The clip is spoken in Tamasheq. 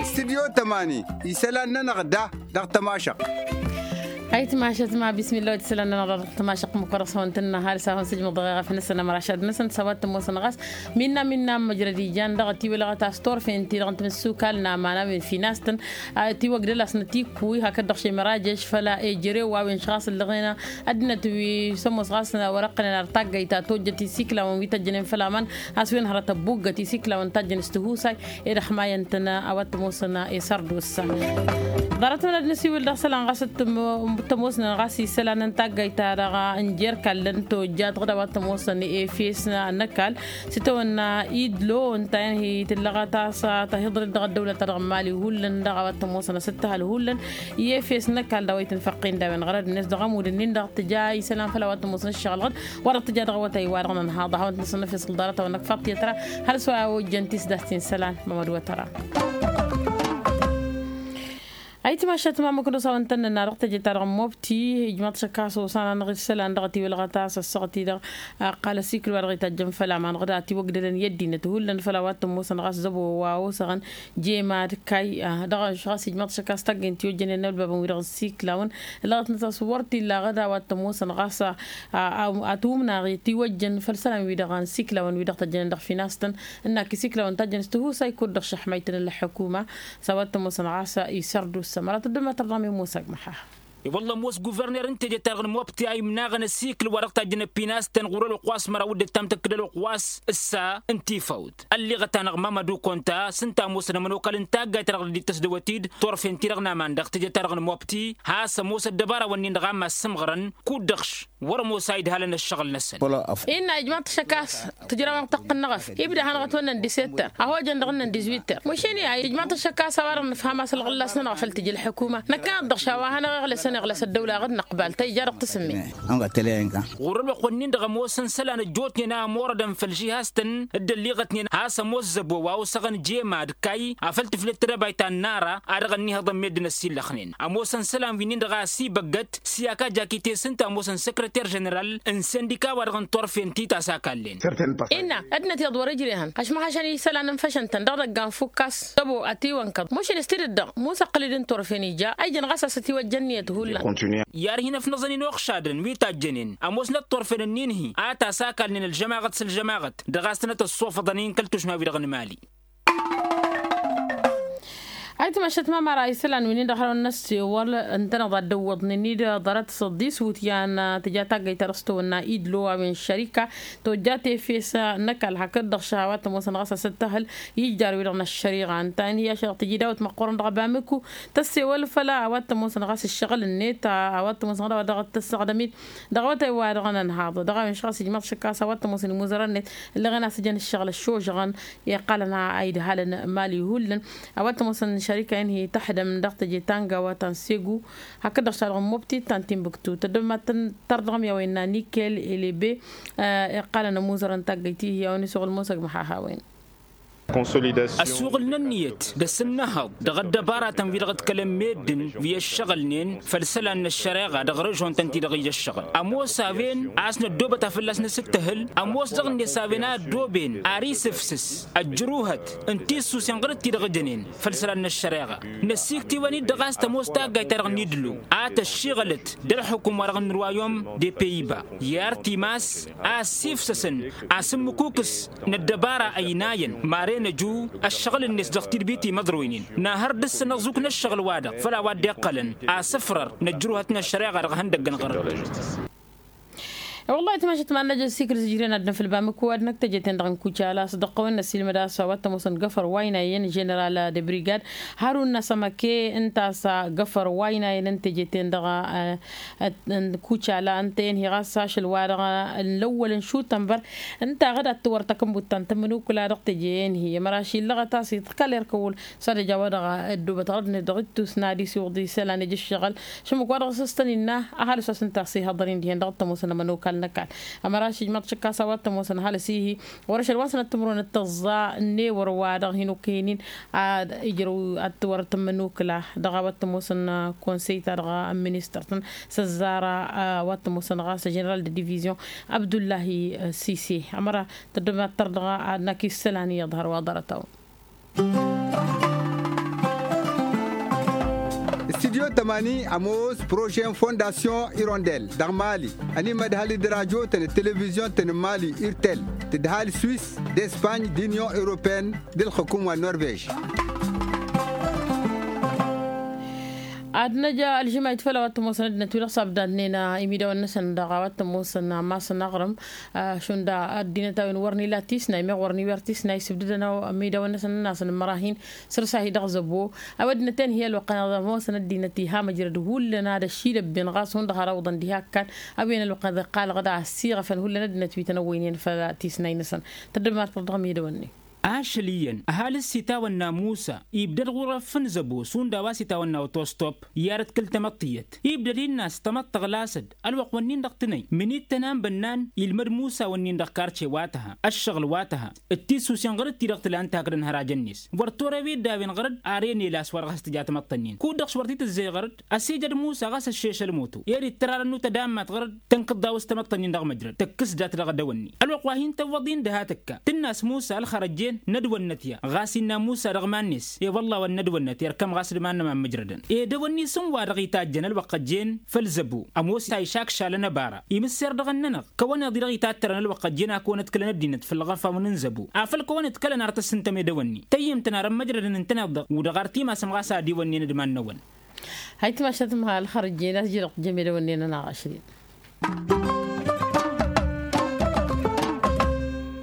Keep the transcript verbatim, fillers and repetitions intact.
Stidyo tămani isălan-nănăɣ da dăɣ-tămašăɣt. Ayǝtmašăt ma bismillah wa t-isălan-nănăɣ da dăɣ-tămašăɣt măkkoḍăɣ s-hawăn-tăn-năhal s-a hawăn-sǝjmǝḍ dăɣ-eɣăf-năsăn ămrašad-năsăn s-a-wa t-ămoosăn ɣas. Minna minna măjrăd ijan dăɣ-tiwǝlɣăt a-s turfen-ti-dăɣ n-timǝssukal n-aman a-wen finastăn tiwăgdăl a-s nătikkuy hakd-dăɣ šemărajež făla ejărew a-wen š-ɣas ǝllăɣen ăddinăt wi s-ămoos ɣas wăr-ăqqănen ar taggayt ta tojjăt isiklawăn wi tăjjănen făll-aman a-s wen hărăt ăbbuggăt isiklawăn tajjăn s-tihusay. Ed ăxmayăn-tăn a-wa t-ămoosăn i-sărdusa. Ḍarăt-măn ad-nǝsiwǝl dăɣ-isălan ɣas t-ămoosnăn ɣas isălan n-taggayt-ta-dăɣ n-jer kallăn tojjat ɣǝd a-wa t-ămoosnăn efes n-ăkall s-itawănna idlo ǝnta i-tǝllăɣăt a-s tahiḍrăt dăɣ-ăddăwlăt-ta-dăɣ n-mali hullan dăɣ-a-wa t-ămoosnăn s-ǝttăhăl hullan i-efes n-ăkall d-a-wa itǝnfăqqin d-a-wen ɣărăd-net dăɣ-ămudd-ǝnnin-dăɣ tǝja isălan făll-a-wa t-ămoosnăn ǝššăɣǝl ɣǝd wa dăɣ-tǝja dăɣ-awătay-wa-dăɣ nǝnhaḍ ad-hawăn-t-nǝsǝnnăfes ɣǝl ḍarăt-a-wa năkk faḍt i-ătra hal s-wa ojjăn tisdast-in isălan mămăd wătăra. Ayǝtmašat ma măknăs a-wa n-tăn-nănna dăɣ-teje-ta-dăɣ n-mobti ijmaḍ šăkk a-s osan-anăɣ isălan dăɣ-tiwǝlɣăt a-s ăssaɣăt-i-dăɣ ăqqal ăsikǝl wa dăɣ-itajjăn făll-aman ɣǝd a tiwăgdălăn i-ăddinăt hullan făll-a-wa t-ămoosăn ɣas zăbo wa osăɣăn jemad kay. Dăɣ-ašăɣ a-s ijmaḍ šăkk a-s taggăyăn tiwăjjănen n-ălbabăn-wi-dăɣ n-isiklawăn ǝlɣătnăt a-s wăr t-illa ɣǝd a-wa t-ămoosăn ɣas ătwǝmnaɣ tiwăjjăn făll-isălan-wi-dăɣ n-isiklawăn-wi-dăɣ tăjjănen dăɣ-finastăn ǝnnak isiklawăn tajjăn s-tihusay kud-dăɣ šăḥmaytăn ǝllăxăkuma. S-a-wa t-ămoosăn ɣas isărdusa măra tăddămătăr dăɣ-mi musag măxax. I-wălla ămoos guverner n-teje-ta-dăɣ n-mobti a imnaɣăn ăsikǝl wa dăɣ-tajjăn ăpinastăn ɣur-ălwăqq wa s-măraw d-ǝttam tǝkkǝd ălwăqq wa s-ǝssa n-tifawt ălliɣăt-anăɣ mamădu konta s-ǝnta a ămoosăn ămănokal n-taggayt-ta-dăɣ dd-ittăs d-awătid turfen-ti-dăɣ n-aman dăɣ-teje-ta-dăɣ n-mobti has-ămoos ăddăbara-wǝnnin-dăɣ a mad-sǝmɣărăn kud-dăɣ-š wăr-ămoos a idhalăn ăššăɣǝl-năsăn. Innă ijmaḍ-t šăkk a-s tǝjrawăn tăqqǝnnăɣ-ăf ibda hanăɣ-ătwănnăn d-isettăr a hojăn dăɣ-ǝnnăn d-izwittăr măšin i-ad-ijmaḍ-t šăkk a-s a-wa-dăɣ nǝfham a-s ălɣǝllas-nănăɣ făll-tǝj ălḥukuma năkkăneḍ-dăɣ š-a-wa hanăɣ-iɣlǝsăn iɣlăs ăddăwla ɣǝd năqbal ta ija dăɣ-tǝsǝmme. Ɣur-ălwăqq-wǝnnin-dăɣ ămoosăn isălan ăjjootnen a ămorădăn făll-žihaz-tăn dd-ălliɣătnen has-ămoos zăbo wa osăɣăn jemad kay afăl tǝflet tedăbayt ta n-nara a dăɣ-ănnihăḍ n-meddǝn ăsillăxnen ămoosăn isălan wi-nin-dăɣ a ăsibăggăt s-i-aka jakite s-ǝnta ămoosăn săkrăter ženeral n-sindika-wa-dăɣ n-turfen ti ta s-akallen. Innă ăddinăt iyyăḍ wăr-ǝjrehăn ašmăhăšăn isălan n-făšăn-tăn dăɣ-idăgga n-fukkas tăbo ătiwănkăḍ măšin s-tidǝd-dăɣ musăqqǝl-dd n-turfen ija a ijăn ɣas a-s ătiwăjja ǝnniyăt hullan. I-ad-hin-ăfnăẓăn inuɣšadăn wi tajjănen ămoosnăt turfen ǝnnin-hi a ta s-akalnen ălžămaɣăt s-ălžămaɣăt dăɣ-a-s tănăt-ăṣṣofăḍăn i-inkăl tušma-wi-dăɣ n-mali. Ayǝtmašăt ma măra isălan wi-nin-dăɣ hărăwăn n-ăssewăl ǝntăneḍ ad-dd-ăwwăḍnen-dd ḍarăt s-ăḍḍis wutyan tǝja taggăyt ta dăɣ-s tăwănna idlo a-wen šărika tojjat efes n-ăkall hakd-dăɣ šăhawat ămoosăn ɣas asǝttăhǝl ijjar-wi-dăɣ n-ăššăriɣa ǝnta-en hi-ašăl tǝji dawăt măqqoorăn dăɣ-abamǝku tăssewăl făll-a-wa t-ămoosăn ɣas ǝššăɣǝl-net a-wa t-ămoosăn ɣas dăɣ-tăssăɣdăm-dd dăɣ-awătay wa dăɣ-nănhaḍ dăɣ-a-wen šăɣ-s ijmaḍ šăkk a-s a-wa t-ămoosăn imuzărăn-net ǝllăɣen a-s ǝjăn ǝššăɣǝl ăššožăɣăn iqqalăn a idhalăn mali hullan. A-wa t-ămoosăn šărika-en hi-tăxdăm dăɣ-teje ta n-gawa ta n-segu hakd-dăɣ s-a-dăɣ n-mobti ta n-tinbǝktu tăddămătăr dăɣ-mi a-wa innă nikel elebe. Iqqalăn ămuzărăn taggăyt-i hi-a-wen isuɣǝl musăgmăx a hawen. Ăsuɣǝl n-ǝnniyăt d-asǝnnăhăḍ dăɣ-ăddăbaratăn wi-dăɣ ǝḍkălăn meddǝn wi ăššăɣǝlnen făll-isălan n-ăššăreɣa dăɣ-režon-tăn-ti-dăɣ ija ăššăɣǝl ămoos a-wen a-s năddoobăt a fălla-s nǝsǝttăhǝl ămoos dăɣ-net a-wen a ăddooben ar isǝfsǝs ăjjăruhăt n-tissusen ɣur-dd-ti-dăɣ ǝjănen făll-isălan n-ăššăreɣa. Năsiktiwăn-dd dăɣ-a-s tămoos taggayt-ta-dăɣ n-idlu a tăššiɣǝlăt d-ălxukum-wa-dăɣ n-ruwayom de peyiba i-ar timas a ăssifsăsăn asǝmmǝkukǝs n-ăddăbara ăynayăn maren ăju ăššăɣǝl-net dăɣ-tidbit imăḍroynen nahăr dăr-s ănăẓuk n-ăššăɣǝl-wa-dăɣ făll-a-wa dd-iqqălăn asǝfrăr n-ăjruhăt n-ăššăreɣa dăɣ-ihăndăggăn ɣărăt. Wăllah itmašăt ma n-năj ăsikǝl s-ǝjren ad-năfǝl bamǝku ad-năk teje-ten-dăɣ n-kucala a-s dăɣ-tăwăn n-ăsilmăd a-s a-wa t-ămoosăn găfăr waynayen ženeral debrigad harun n-asămăke ǝnta a-s găfăr waynayen n-teje-ten-dăɣ n-kucala ǝnta-en hi ɣas ašăl-wa-dăɣ n-lăwwăl n-šutănbăr ǝnta ɣǝd ad-tǝwărtăk n-buttan tămănukǝla dăɣ-teje-en hi ămăraš illăɣăt a-s iḍkăl erk ăwwăl s-ad-ăj a-wa-dăɣ ăddubăt ɣărăd-net dăɣ-ittus n-ad-isiwǝḍ isălan ija ǝššăɣǝl šămuk-wa-dăɣ s-ǝstăn innă ăhalǝs wa s-ǝnta a-s ihăḍăr-in dihen dăɣ-tămoosăn ămănokal. N-ăkall ămăra šijmaḍ šǝkkas a-wa t-ămoosăn ăhalǝs-i-hi wăr-ašăl wa s-năttămrăwăn d-tăẓẓa n-ewăr wa-dăɣ hin-okăyăn-in ad-ijrăw ad-t-wăr-tǝmmǝnukǝla dăɣ-a wa t-ămoosăn konsey-ta-dăɣ n-ministăr-tăn s-ăzzara a-wa t-ămoosăn ɣas ženeral de divizion abdullahi sise. Ămăra tăddămattăr dăɣ-a ad-năkk isălan iyyăḍ hărwa ḍarăt-awăn. Studyo tămani ămoos prožen fondasyon irondel dăɣ-mali ănimădhăl d-rajo-tăn d-televizyon-tăn n-mali irtel tǝdhal swis d-espany d-inyon europeyăn d-ǝlxǝkum wa n-norvej. Ad-năj ălžǝmayt făll-a-wa t-ămoosăn ăddinăt wi-dăɣ s-abdadnen imidawăn-năsăn dăɣ-a-wa t-ămoosăn amas n-aɣrǝm šund ăddinăt a-wen wăr n-ila tisnay meɣ wăr n-iwer tisnay sǝbdǝdăn imidawăn-năsăn ănn-asăn n-imărahin săr-s a hi-dăɣ zăbo. A-wa ăddinăt-en hi-ălwăqqăn iḍa ămoosăn ăddinăt iha măjrăd hullan ad-ăššidăbben ɣas hundăɣ har ăwḍăn diha ǝkkan. A-wen ălwăqqăn iḍa iqqalăɣ-dd a ăssiɣăfăn hullan ăddinăt wi tăn-ăwwăynen făll-tisnay-năsăn. Tăddăbmar-tăt dăɣ-imidawăn-net. Ašăl iyyăn ăhalǝs s-itawănna musa ibdăd ɣur-ăffǝn zăbo šund a-wa s-itawănna otostop i-ad-ătkǝl tamăḍt tiyyăt ibdăd innă a-s tamăḍt tăɣlasăd. Ălwăqq-wǝnnin-dăɣ tǝnăy mǝnit tănanbănnan ilmăd musa-wǝnnin dăɣ-karce wa tăha ăššăɣǝl wa tăha d-tisusen ɣăr-dd ti-dăɣ tǝla n-takdăn hărajăn-net wăr tora wi dd-a-wen ɣăr-dd. Ar enel a-s wăr ɣas tǝja tamăḍt-ǝnnin kud-dăɣ s-wăr t-tǝzzey ɣăr-dd ăsijăd musa ɣas ăššešăl moto ed ittăr arăn n-utădammat ɣăr-dd. Tănkǝḍ dawăs tamăḍt-ǝnnin dăɣ-măjrăd tăkkǝs dat-dăɣ dăwănni ălwăqq wa hin-tăwwăḍ-in dăha tăkka tǝnn'-as musa ălxărăjjen n-ădwănnăt ya ɣas innă musa dăɣ-iman-net i-wălla wăr n-ădwănnăt irkăm ɣas d-iman-năma n-măjrădăn. Ed ăwănni s-ǝnn-wa-dăɣ itajjăn ălwăqq ăjjeen făll-zăbo ămoos a išakšalăn ăbara imǝsser dăɣ-ănnănăɣ kăwăn-iḍ-i-dăɣ itattărăn ălwăqq ăjjeen a kăwăn-ǝdkǝlăn ăddinăt făll-iɣăfawăn n-zăbo afăl kăwăn-ǝdkălăn ar tăssǝntăm edăwănni tăyyǝm-tăn ar ămmăjrădăn ǝntăneḍ-dăɣ. Udăɣ ar timasăm ɣas a dd-iwănnen d-iman-năwăn. Hay timašat măha ălxărăjjen a-s iji-dăɣ tǝjjăm edăwănnen ănaɣ ašrin.